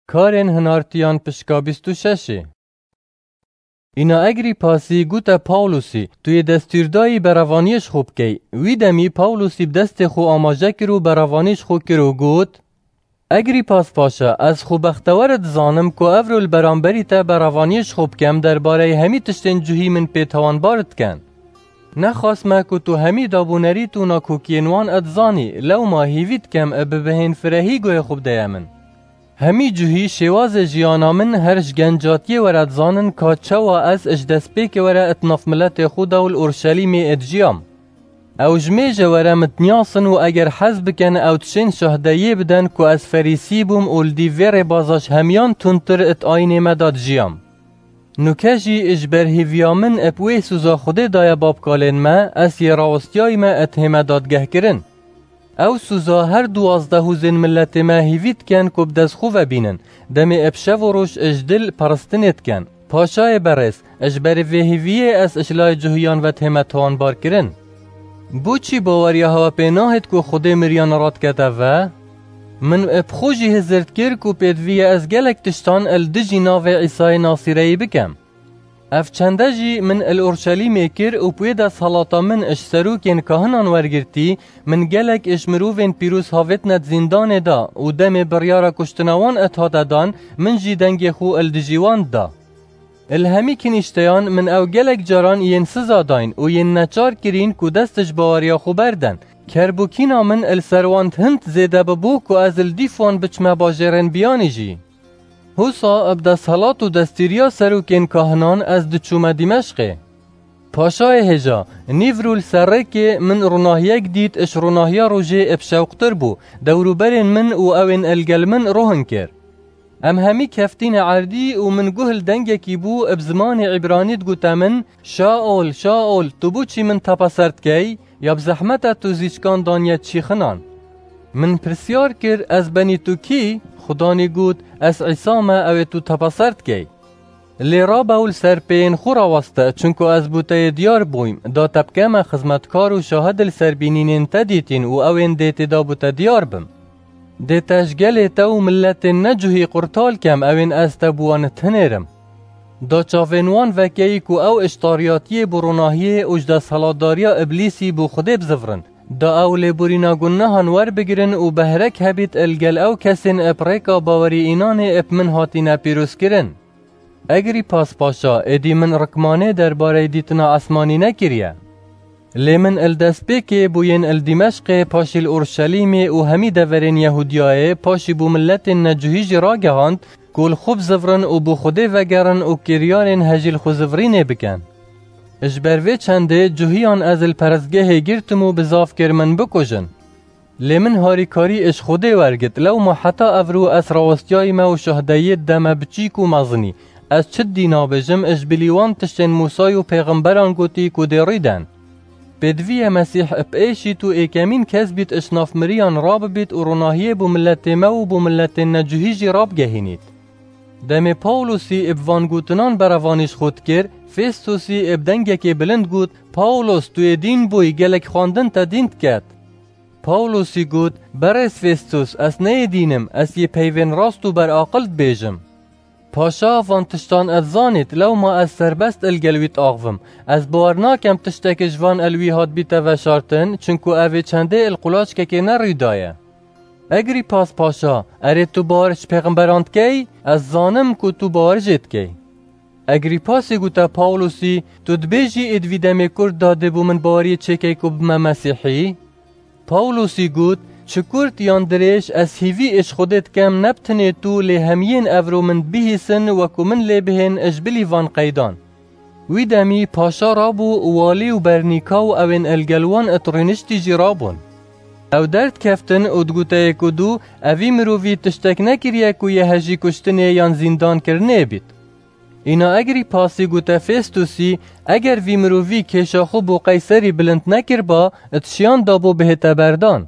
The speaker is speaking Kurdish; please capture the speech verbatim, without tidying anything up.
Karên hinartiyan pişka bîst û şeşê. Îna Egrîpasî gote Pawlusî, tu yê destûrdayî berevaniyê ji xwe bikey. Wî demî Pawlusî bi destê xwe amaje kir û berevanî ji xwe kir û got, Egrîpas Paşa, ez xwe bextewer dizanim ku evro li beramberî te berevaniyê ji xwe bikem derbareyê hemî tiştên cuhî min pê tawanbar diken. Nexasme ku tu hemî dabûnerît û nakokiyên wan dizanî, lewma hîvî dikem bi bihên firehî guhê xwe bideye min. Hemî cuhî şêwazê jiyana min her ji gencatiyê were dizanin ka çawa ez ji destpêkê were di nav miletê xwe de û li Urşelîmê dijiyam. Ew ji mêje were min diniyasin û eger hez bikin ew dişên şahdeyiyê bidin ku ez ferîsî bûm û li dîv vê rêbaza ji hemiyan tundtir di ayînê me de dijiyam. Nûke jî ji ber hêviya min bi wê sûza Xwedê daye babkalên me, ez yê rawestiyayî me di hê me dadgehkirin. Ew sûza her duwazdeh hûzên miletê me hîvî dikin ku bi dest xwe ve bînin, demê bi şev û roj ji dil peristinê dikin. Paşayê berêz, ji ber vê hîviyê ez ji layê cuhiyan ve tême tawanbarkirin. Boçî baweriya hewe pê nahêt ku Xwedê miriyan radikete ve? Min bi xwe jî hizir dikir ku pêdivî ye ez gelek tiştan li dijî navê Îsayê Nasîreyî bikim. Ev çende jî min li Urşelîmê kir û bi wê desthelata min ji serokên kahinan wergirtî, min gelek ji mirovên pîroz havêtine di zîndanê de û demê biryara kuştina wan hate dan, min jî dengê xwe li dijî wan da. Li hemî kinîşteyan min ew gelek caran yên siza dayîn û yên neçar kirîn ku dest ji baweriya xwe berdin. Kerbûkîna min li ser wan hind zêde bibû ku ez li dîf wan biçime bajêrên biyanî jî. Husa bi desthilat û destûriya serokên kahinan ez diçûme Dîmeşqê. Paşayê hêja, nîvro li ser rêkê min ronahiyek dît, ji ronahiya rojê bi şewqtir bû, dewrûberên min û ew ên li gel min rohin kir. Em hemî keftîne erdî û min guh li dengekî bû, bi zimanê îbranî digote min, Şaol, Şaol, tu boçî min tepeser dikey? Ya bi zehmet e tu zîçkan daniye çîxinan? Min pirsyar kir, Ez benî tu kî? Xudanî got, Ez Îsa me, ew ê tu tepeser dikey. Lê rabe û li ser pêyên xwe raweste, çunku ez bo te yê diyar bûyim, da te bikeme xizmetkar û şahid li ser bînînên te dîtîn û ew ên dê tê da bo te diyar bim. Dê te ji gelê te û miletên necuhî qurtal kem, ew ên ez te bi wan tinêrim. Da çavên wan vekeyî ku ew ji tariyatiyê bo ronahiyê û ji desthilatdariya Îblîsî bo Xwedê bizivrin. Da ew lêborîna gunehan werbigirin û behrek hebît li gel ew kesên bi rêka bawerî înanê bi min hatine pîrozkirin. Egrîpas Paşa, êdî min rikmanê derbareyê dîtina esmanî nekiriye. Lê min li destpêkê bo yên li Dîmeşqê, paşî li Urşelîmê û hemî deverên Yehûdiyayê, paşî bo miletên necuhî jî ragehand ku li xwe bizivrin û bo Xwedê vegerin û kiryarên hejî li xwe zivrînê bikin. Ji ber vê çendê cuhiyan ez li perestgehê girtim û bizav kir min bikujin. Lê min harîkarî ji Xwedê wergirt, lewma heta evro ez rawestiyayî me û şahdeyiyê dide me biçîk û mezinî. Ez çi dî nabêjim, ji bilî wan tiştên Mûsayî û pêxemberan gotî ku dê rî den. Pêdivî ye Mesîh bi êşît û êkemîn kes bît ji nav miriyan rabibît û ronahiyê bo miletê me û bo miletên necuhî jî rabigehînît. Demê Pawlosî bi van gotinan berevanî ji xwe dikir, Fêstosî bi dengekê bilind got, Pawlos, tu yê dîn bûyî, gelek xwendin te dîn diket. Pawlosî got, Berêz Fêstos, ez ne yê dîn im, ez yê peyvên rast û beraqil dibêjim. Paşa van tiştan ez zanît, lewma ez serbest li gel wî diaxivim. Ez bawer nakem tiştek ji van el wî hat bîte veşartin, çunku ev ê çendê li qulaçkekê ne rû daye. Egrîpas Paşa, erê tu bawer ji pêxemberan dikey? Ez zanim ku tu bawer jê dikey. Egrîpasî gote Pawlosî, Tu dibêjî êd vî demê kurt da dê bo min baweriyê çêkey ku bime Mesîhî? Pawlosî got, Çi kurt yan dirêj, ez hîvî êş Xwedê dikem ne bi tinê tu lê hemiyên evro min bihîsin wekû min lê bihên ji bilî van qeydan. Wî demî paşa rabû û walî û bernîka û ewên el gel wan it rûniştî jî rabûn. Ew derdikeftin û digoteyê ku dû, Evî mirovî tiştek nekiriye ku yê hejî kuştinê yan zîndan kirinê bît. Îna Egrîpasî gote Fêstosî, Eger vî mirovî kêşa xwe bo Qeyserî bilind nekirba, it şiyan dabû bihête berdan.